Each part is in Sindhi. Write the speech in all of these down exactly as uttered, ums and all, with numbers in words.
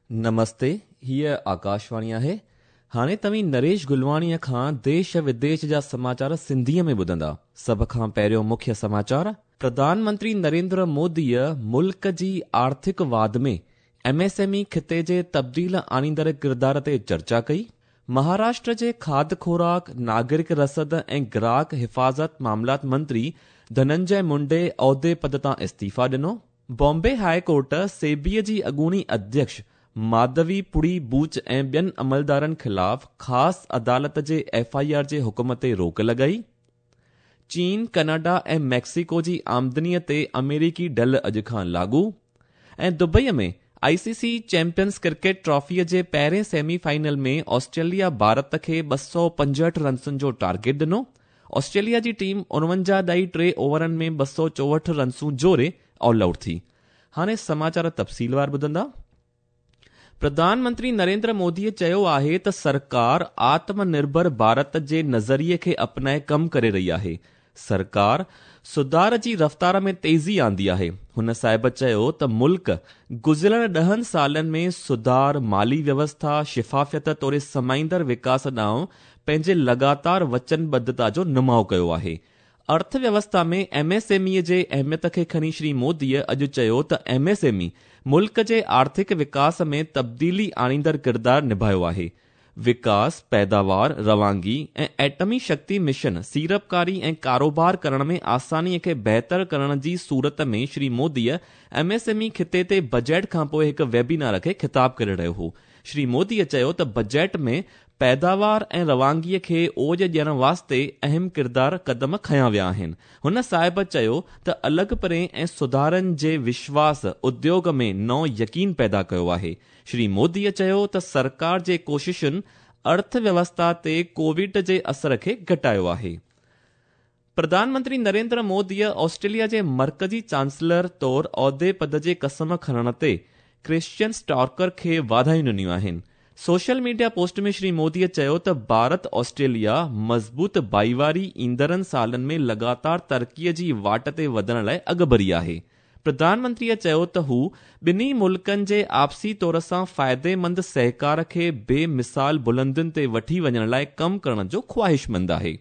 نمستي، هيء آڪاشواڻي آهي. هاڻي توهين نريش گلواڻيء کان ديش وديش جا سماچار سنڌيء ۾ ٻڌندا. سڀ کان پهريون مکيه سماچار، پرڌان منتري نريندر موديء ملڪ جي آرٿڪ واڌ ۾ ايم ايس ايم اي خطي جي تبديل آڻيندڙ ڪردار تي چرچا ڪئي. مهاراشٽر جي کاڌ خوراڪ، ناگرڪ رسد ۽ گراهڪ حفاظت معاملات منتري ڌننجي منڊي عهدي پد تان استعيفا ڏنو. بامبي هاء ڪورٽ سيبيء جي اڳوڻي اڌيڪش ماڌوي پوري بوچ ۽ ٻين عملدارن خلاف خاص عدالت جي ايف I R جي حڪم تي روڪ لڳائي. چين، ڪئناڊا ۽ ميڪسيڪو جي آمدنيء تي آمريڪي ڍل اڄ کان لاڳو. ۽ Dubai ۾ I C C champions cricket ٽرافيء جي پهرين سيمي فائنل ۾ آسٽريليا ڀارت کي ٻه سؤ پنجهٺ رنسن جو ٽارگيٽ ڏنو. آسٽريليا جي ٽيم اڻونجاهه ڏائي ٽي اوورن ۾ ٻه سؤ چوهٺ رنسون جوڙي آل آئوٽ ٿي. هاڻي سماچار تفصيلوار ٻڌندا. پرڌان منتري نريندر موديء چيو آهي ته سرڪار آتم نرڀر ڀارت جي نظريي کي اپنائي ڪم ڪري رهي آهي. سرڪار سڌار جي رفتار ۾ تيزي آندي آهي. هن صاحب چيو ته ملڪ گذريل ڏهن سالن ۾ سڌار، مالي ويوسٿا، شفافيت توڙي سمائيندڙ وڪاس ڏانهن پنهنجي لڳاتار وچنبڌتا جو نماءُ ڪيو آهي. ارٿ ويوسٿا ۾ ايم ايس ايم اي جي اهميت کي کڻي شري موديء اڄ چيو ته ايم ايس ايم اي ملڪ جي آرٿڪ وڪاس ۾ تبديلي آڻيندڙ ڪردار نڀايو آهي. وڪاس، پيداوار، روانگي ۽ ايٽمي شڪتي مشن، سيڙپڪاري ۽ ڪاروبار ڪرڻ ۾ آسانيء کي بهتر ڪرڻ جي صورت ۾ شري موديء ايم ايس ايم اي خطي تي بجيٽ کانپوءِ هڪ ويبينار کي خطاب ڪري رهيو هو. شري موديء چيو ته بجيٽ ۾ پيداوار ۽ روانگيء کي اوج ڏيڻ واسطي اهم ڪردار قدم کنيا ويا آهن. هن صاحب چيو ته الڳ پري ۽ سڌارن جي وشواس اديوگ ۾ نئون يقين پيدا ڪيو آهي. شري موديء چيو ته سرڪار جي ڪوششن ارٿ ويوسٿا تي ڪووڊ جي اثر کي گهٽايو آهي. پرڌان منتري نريندر موديء آسٽريليا جي مرڪزي چانسلر طور عهدي پد جي قسم کڻڻ تي ڪرسچين اسٽارڪر کي واڌايون ڏنيون آهن. سوشل ميڊيا پوسٽ ۾ شري موديء چيو ته ڀارت آسٽريليا مضبوط ڀائيواري ايندڙن سالن ۾ لڳاتار ترقيءَ جي واٽ تي وڌڻ لاءِ اڳڀري آهي. پرڌان منتريءَ چيو ته هو ٻنهي ملڪن جي آپسي طور سان فائديمند سهڪار کي بي مثال بلندين تي وٺي وڃڻ لاءِ ڪم ڪرڻ جو خواهشمند آهي.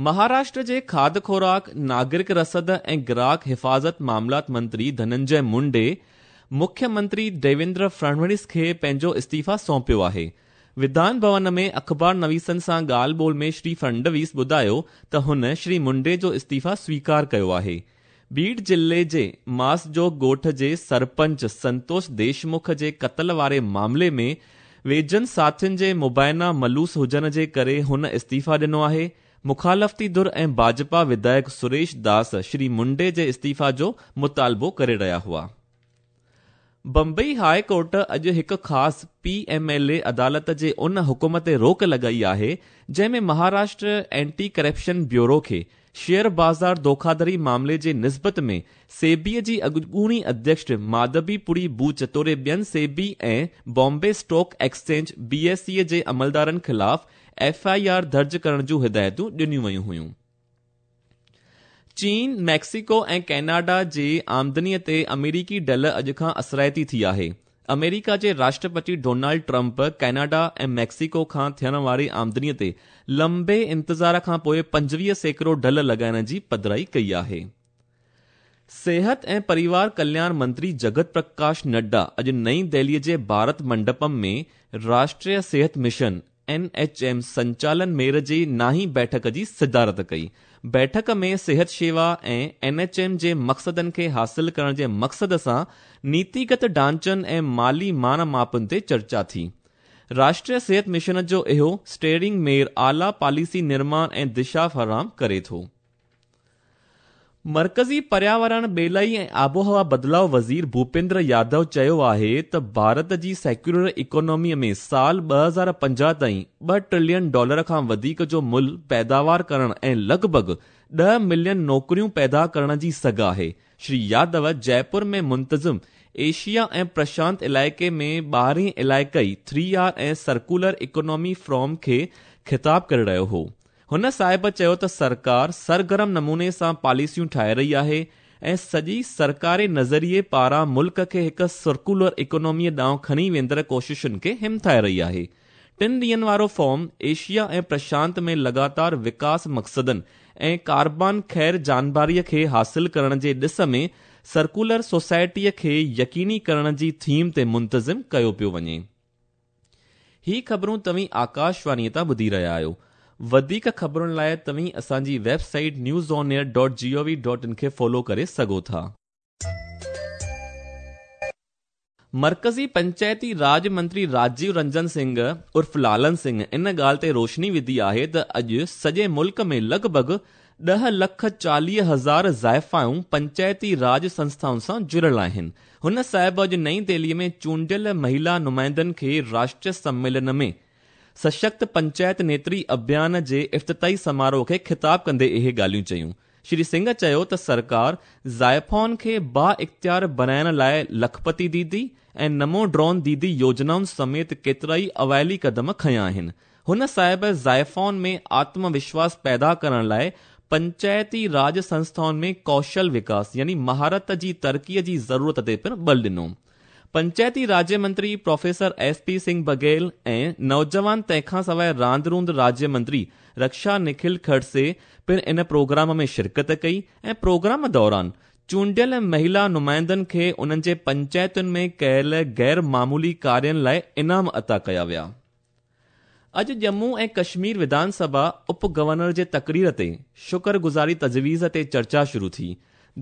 مهاراشٽر جي کاڌ خوراڪ، ناگرڪ رسد ۽ گراهڪ حفاظت معاملات منتري ڌننجي منڊي مکيه منتري ديويندر فڙنويس کي پنهنجو استعيفا سونپيو آهي. وڌان ڀون ۾ اخبار نويسن سان ڳالهه ٻولهه ۾ شري فڙنويس ٻڌايو ته هن شري منڊي جو استعيفا سويڪار ڪيو آهي. بيڙ ضلعي جي ماسجوگ ڳوٺ جي سرپنچ سنتوش ديشمک جي قتل واري معاملي ۾ ويجهن ساٿين جي مبينا ملوث هجڻ جي ڪري هن استعيفا ڏنو آهي. مخالفتي ڌر ۽ ڀاجپا وڌايڪ سريش داس شري منڊي جي استعيفا جو مطالبو ڪري رهيا هئا. بمبئي هاء ڪورٽ اڄ هڪ خاص پي ايم ايل اي عدالت جي ان حڪم تي روڪ لڳائي آهي جنهن ۾ مهاراشٽر اينٽي ڪرپشن بيورو کي شيئر بازار ڌوکاڌڙي معاملي جي نسبت ۾ سيبيءَ جي اڳوڻي اڌيڪش ماڌوي پوري بوچ توڙي ٻين SEBI ۽ Bombay stock exchange B S E جي عملدارن خلاف ايف I R درج ڪرڻ جون هدايتون ڏنيون ويون هيون. چين، ميڪسيڪو ۽ ڪئناڊا جي آمدنيءَ تي آمريڪي ڍل اڄ کان اثرائتي ٿي آهي. آمريڪا جي Rashtrapati Donald Trump Canada ۽ Mexico کان ٿيڻ واري آمدنيءَ تي لمبي انتظار کان پوءِ پنجويهه سيڪڙو ڍل لڳائڻ جي پڌرائي ڪئي آهي. صحت ۽ پريوار ڪلياڻ منتري جگت پرڪاش نڊا اڄ نئين دهليءَ جي ڀارت منڊپم ۾ راشٽريه صحت مشن اين ايڇ ايم سنچالن ميڙ جي نائين بيٺڪ جي صدارت ڪئي. بيٺڪ ۾ صحت شيوا ۽ اين ايڇ ايم جي مقصدن کي حاصل ڪرڻ جي مقصد سان نيتيگت ڍانچن ۽ مالي مان ماپن تي چرچا ٿي. راشٽريه صحت مشن جو اهو اسٽيئرنگ ميڙ اعليٰ پاليسي نرماڻ ۽ دشا فراهم ڪري ٿو. مرڪزي پرياورڻ، ٻيلائي ۽ آبهوا بدلاءُ وزير ڀوپيندر يادو چيو آهي ته ڀارت جي سيڪيولر اڪاناميءَ ۾ سال ٻه هزار پنجاهه تائين ٻه ٽريلين ڊالر کان وڌيڪ جو ملهه پيداوار ڪرڻ ۽ لڳ ڀڳ ڏهه ملين نوڪريون پيدا ڪرڻ جي سگهه آهي. شري يادو جئپور ۾ منتظم ايشيا ۽ پرشانت علائقي ۾ ٻارهين علائقائي ٿري آر ۽ سرڪولر اڪانامي فورم کي خطاب ڪري رهيو هو. هن صاحب چيو ته سرڪار سرگرم نموني سان پاليسيون ٺاهي رهي آهي ۽ سڄي सरڪاري نظريي پاران ملڪ کي هڪ سرڪيولر اڪانوميء ڏانهن کڻي ويندڙ ڪوششن کي همٿائي رهي آهي. ٽن ڏينهن وارو فورم ايشيا ۽ پرشانت ۾ لڳاتار وڪاس مقصدن ۽ ڪاربان خير جانبداريء کي حاصل ڪرڻ جي ڏس ۾ سرڪيولر سوسائٽيء کي يقيني ڪرڻ جي ٿيم تي منتظم ڪيو پيو وڃي. هي خبرون توهين آڪاشواڻيء تان ٻڌي رهيا آهيو. وڌيڪ خبرن لاءِ توهين اسان جي website news on air dot G O V dot in کي فالو ڪري سگهو ٿا. مرڪزي پنچائتي راڄ منتري راجيو رنجن سنگهه عرف لالن سنگهه ان ڳالهه تي روشني وڌي آهي ته اڄ سڄي ملڪ ۾ لڳ ڀڳ ڏهه لک چاليهه هزار زائفائون پنچائتي راڄ سنسٿائن سان جڙيل آهن. هن صاحب اڄ نئين دهليء ۾ چونڊيل مهلا نمائندن کي راشٽريه سميلن ۾ سشڪت پنچائت نيتري اڀيان جي افتتاحي سماروهه کي خطاب ڪندي اهي ڳالهيون چيون. شري سنگهه چيو ته سرڪار زائفائن کي با اختيار بڻائڻ لاءِ لکپتي ديدي ۽ نمو ڊرون ديدي يوجنائن سميت ڪيترائي اوائلي قدم کنيا آهن. هن صاحب زائفائن ۾ آتم وشواس پيدا ڪرڻ لاءِ پنچائتي راڄ سنسٿائن ۾ ڪوشل وڪاس يعني مهارت جي ترقيءَ جي ضرورت تي پڻ بل ڏنو. پنچائتي راجيه منتري professor S P Singh Baghel ۽ نوجوان تنهن کان سواءِ راند روند راجيه منتري رڪشا نکل کڙسي پڻ ان پروگرام ۾ شرڪت ڪئي ۽ پروگرام دوران چونڊيل مهلا نمائندن کي انهن جي پنچائتن ۾ ڪيل غير معمولي ڪارين لاءِ انعام عطا ڪيا ويا. اڄ ڄمون ۽ ڪشمير وڌان سڀا اپ گورنر جي تقرير تي شڪرگذاري تجويز تي چرچا شروع ٿي.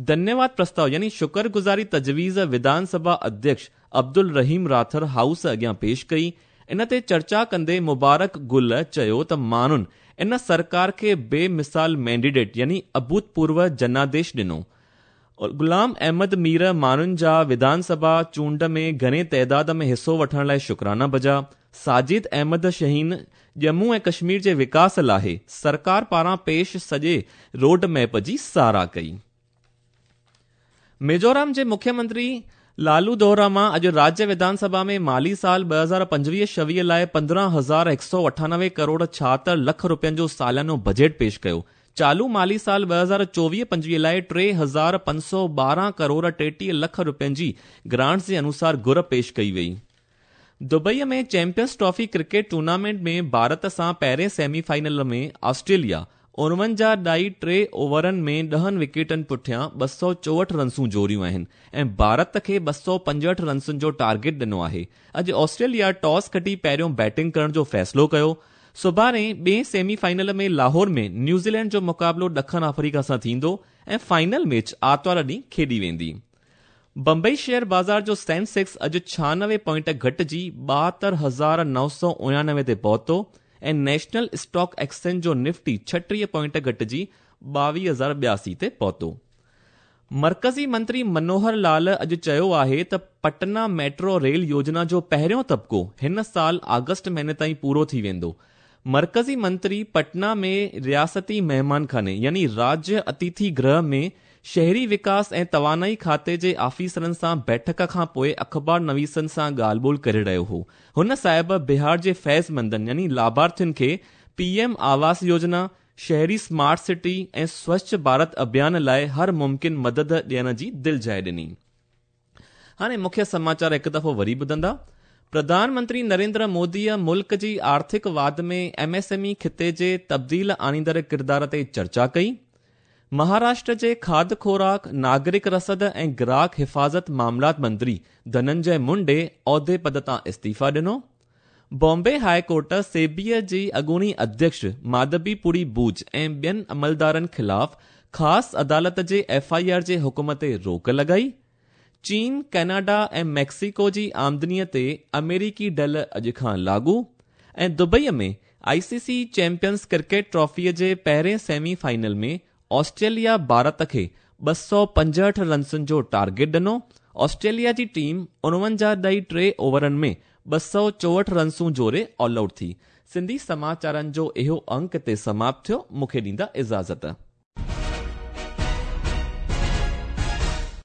ڌنيواد پرستاو يعني شڪرگذاري تجويز وڌان سڀا اڌيڪش عبدل رحيم راٿر هائوس اڳيان پيش ڪئي. ان تي چرچا ڪندي مبارڪ گل چيو ته ماڻهن ان سرڪار کي بي مثال مينڊيٽ يعني اڀوتپورو جناديش ڏنو. غلام احمد مير ماڻهن جا وڌان سڀا چونڊ ۾ گهڻي تعداد ۾ حصو وٺڻ لاءِ شڪرانا بجا. ساجد احمد شاهين ڄمون ۽ ڪشمير جي وڪاس لاءِ سرڪار پاران پيش سڄي روڊ ميپ جي ساراهه ڪئي. ميزورام جي مکيه منتري لالو دوراما اڄ راجيه وڌان سڀا ۾ مالي سال ٻه هزار پنجويهه ڇويهه لاءِ پندرهن هزار هڪ سؤ اٺانوي ڪروڙ ڇاهتر لک رپين جو ساليانو بجيٽ پيش ڪيو. چالو مالي سال ٻه هزار چوويهه پنجويهه لاءِ ٽي هزار پنج سؤ ٻارهن ڪروڙ ٽيٽيهه لک رپين جي گرانٽس جي انوسار گهر پيش ڪئي وئي. دبئيءَ ۾ champions trophy cricket tournament ۾ Bharat سان پهرين سيمي فائنل ۾ آسٽريليا اڻونجاهه ڏائي ٽي اوورن ۾ ڏهن وڪيٽن پٺيان ٻه سؤ چوهٺ رنسون جوڙيون آهن ۽ ڀارت کي ٻه سؤ پنجهٺ رنسن جو ٽارگيٽ ڏنو آهي. اڄ آسٽريليا ٽاس کٽي پهريون بيٽنگ ڪرڻ جو فيصلو ڪيو. سڀاڻي ٻئي سيمي فائنل ۾ لاهور ۾ نيوزيلينڊ جو مقابلو ڏکڻ آفريڪا سان ٿيندو ۽ فائنل ميچ آرتوار ڏينهن کيڏي ويندي. بمبئي شيئر بازار جو سينسيڪس اڄ ڇهانوي پوائنٽ گهٽجي ٻاهتر هزار نو سؤ اڻانوي تي پهتو ۽ نيشنل اسٽاڪ ايڪسچينج جو نفٽي ڇٽيهه پوائنٽ گهٽجي ٻاويهه هزار ٻياسي تي پهتو. مرڪزي منتري منوهر لال اڄ چيو آهي ته پٽنا ميٽرو ريل يوجنا جو پهريون طبقو هن سال آگسٽ مهيني تائين پورو ٿي ويندو. مرڪزي منتري پٽنا ۾ رياستي مهمان خاني يعني راجيه اتٿي گرهه ۾ شهري وڪاس ۽ توانائي کاتي جي آفيسرن سان بيٺڪ کان پوءِ اخبار نويسن سان ڳالهه ٻولهه ڪري رهيو هو. هن صاحب بهار جي فيضمندن يعني لاڀارٿين کي پي ايم آواس يوجنا، شهري اسمارٽ سٽي ۽ سوڇ ڀارت اڀيان لاءِ هر ممڪن مدد ڏيڻ جي دلجاءِ ڏني. هاڻي مکيه سماچار هڪ دفعو وري ٻڌندا. پرڌان منتري نريندر موديءَ ملڪ جي آرٿڪ واڌ ۾ ايم ايس ايم اي خطي جي تبديل آڻيندڙ ڪردار تي چرچا ڪئي. مهاراشٽر جي کاڌ خوراڪ، ناگرڪ رسد ۽ گراهڪ حفاظت معاملات منتري ڌننجي منڊي عهدي پد تان استعيفا ڏنو. بامبي هاءِ ڪورٽ سيبيءَ جي اڳوڻي اڌيڪش ماڌبي پوري بوج ۽ ٻين عملدارن خلاف خاص عدالت جي ايف I R جي حڪم تي روڪ لڳائي. چين، ڪئناڊا ۽ ميڪسيڪو جي آمدنيءَ تي آمريڪي ڍل اڄ کان لاڳو. ۽ دبئيءَ ۾ I C C champions cricket ٽرافيءَ جي پهرين سيمي فائنل ۾ آسٽريليا ڀارت کي ٻه سؤ پنجهٺ رنسن جو ٽارگيٽ ڏنو. آسٽريليا جي ٽيم اڻونجاهه ڏائي ٽي اوورن ۾ ٻه سؤ چوهٺ رنسون جوڙي آل آئوٽ ٿي. سنڌي سماچارن جو اهو انڪ تي سماپت ٿيو. مون کي ڏيندا اجازت.